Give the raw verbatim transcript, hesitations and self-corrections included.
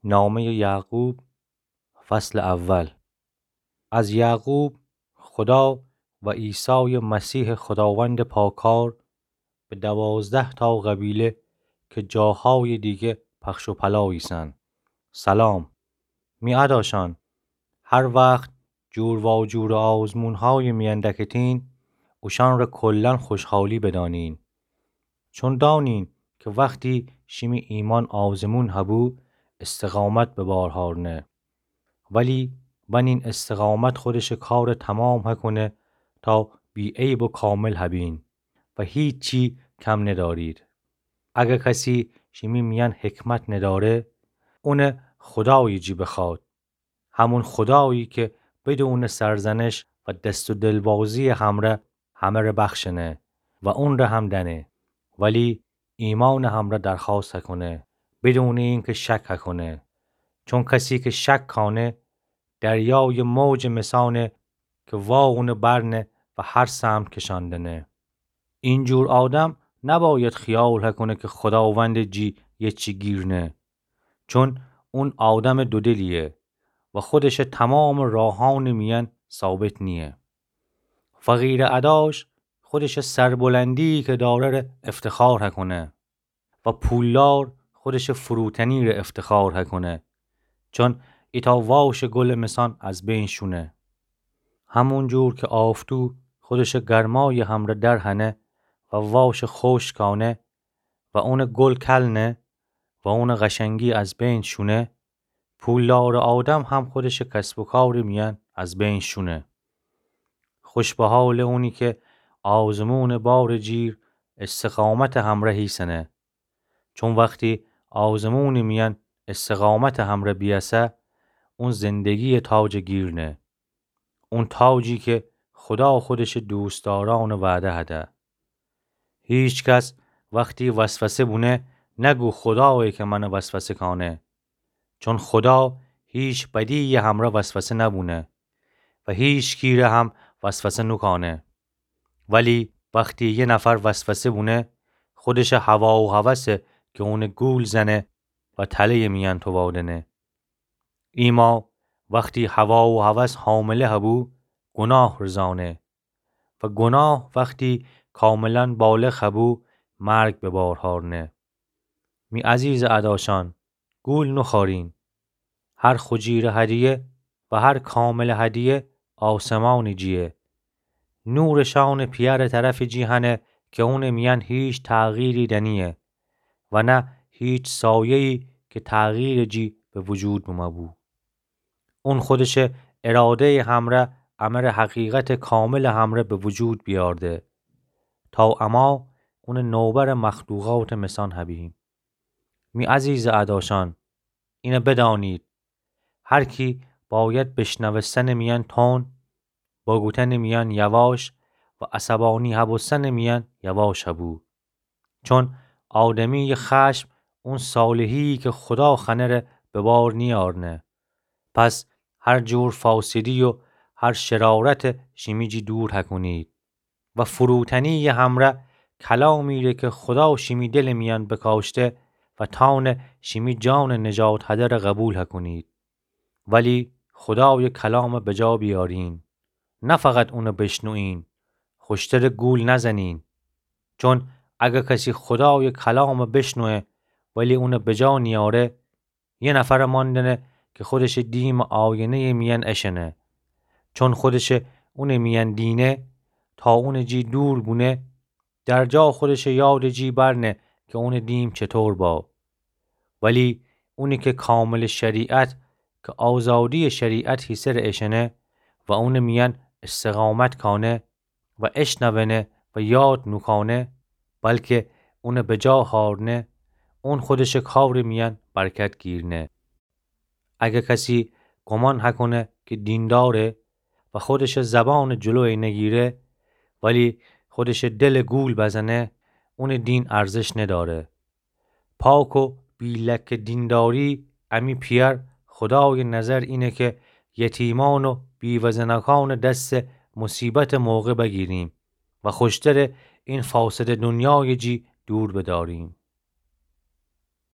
نامهٔ یعقوب، فصل اول. از یعقوب، خدا و عیسی مسیح خداوند پاکار، به دوازده تا قبیله که جاهای دیگه پخش و پلا ایسن، سلام. می اداشان، هر وقت جور واجور آزمونهای میان دکتین، اوشان را کلاً خوشحالی بدانین. چون دانین که وقتی شیمی ایمان آزمون هبو، استقامت به بار هارنه. ولی بنین استقامت خودش کار تمام هکنه تا بی‌عیب و کامل هبین و هیچی کم ندارید. اگه کسی شیمی میان حکمت نداره، اونه خدایی جی بخواد. همون خدایی که بدون سرزنش و دست و دلبازی همره همه ره بخشنه و اون ره هم دنه، ولی ایمان همره درخواست هکنه، بدون اینکه شک هکنه. چون کسی که شک کانه، دریای موج مثانه که وا اونه برنه و هر سمت کشاندنه. اینجور آدم نباید خیال هکنه که خداوند جی یه چی گیرنه، چون اون آدم دودلیه و خودش تمام راهان میان ثابت نیه. فقیر اداش خودش سربلندی که داره ره افتخار هکنه و پولدار خودش فروتنی ره افتخار هکنه، چون ایتا واش گل مثان از بین شونه. همون جور که آفتو خودش گرمای همره در هنه و واش خشک کانه و اون گل کل نه و اون قشنگی از بین شونه، پولدار آدم هم خودش کسب و کار میان از بین شونه. خوش به حال اونی که آزمون بار جیر استقامت همره ایسنه، چون وقتی آزمون میان استقامت همره بیسه، اون زندگی تاج گیرنه. اون تاجی که خدا خودش دوستداران وعده هده. هیچ کس وقتی وسوسه بونه، نگو خدایه که من وسوسه کانه. چون خدا هیچ بدی همره وسوسه نبونه و هیچکی ره هم وسوسه نوکانه. ولی وقتی یه نفر وسوسه بونه، خودش هوا و هوسه که اون گول زنه و تله میان تووادنه. ایما وقتی هوا و هوس حامله هبو، گناه رزانه و گناه وقتی کاملاً بالغ هبو، مرگ به بار هارنه. می عزیز اداشان، گول نوخارین. هر خجیر هدیه و هر کامل هدیه آسمان جیه. نور شان پیار طرف جی هنه که اون میان هیچ تغییری دنیه و نه هیچ سایه‌ای که تغییر جی به وجود بمبو. اون خودش اراده همره امر حقیقت کامل همره به وجود بیارده تا اما اون نوبر مخلوقات مثان هبیم. می عزیز اداشان، اینه بدانید، هر کی باید بشنوستن میان تون، بگوتن میان یواش و عصبانی هبوستن میان یواش هبو. چون آدمی خشم اون صالحی که خدا خنه ره به بار نیارنه. پس هر جور فاسدی و هر شرارت شیمی جی دور هکنید و فروتنی همره کلامی ره که خدا شیمی دل میان بکاشته و تان شیمی جان نجات هده ره قبول هکنید. ولی خدای کلام به جا بیارین. نه فقط اونو بشنوین، خوشتر گول نزنین. چون اگه کسی خدای کلام بشنوه ولی اونو به جا نیاره، یه نفر ماندنه که خودش دیم آینهٔ میان اشنه. چون خودش اون میان دینه، تا اون جی دور بونه، در جا خودش یاد جی برنه که اون دیم چطور با. ولی اونی که کامل شریعت، که آزادی شریعت هیسر اشنه و اون میان استقامت کانه و اشنونه و یاد نوکانه، بلکه اون به جا هارنه، اون خودش کار میان برکت گیرنه. اگه کسی گمان هکنه که دینداره و خودش زبان جلوی نگیره، ولی خودش دل گول بزنه، اون دین ارزش نداره. پاک و بی لکه دینداری امی پیار خدای نظر اینه که یتیمان و بیوه‌زنکان دست مصیبت موقع بگیریم و خوشتر این فاسد دنیای جی دور بداریم.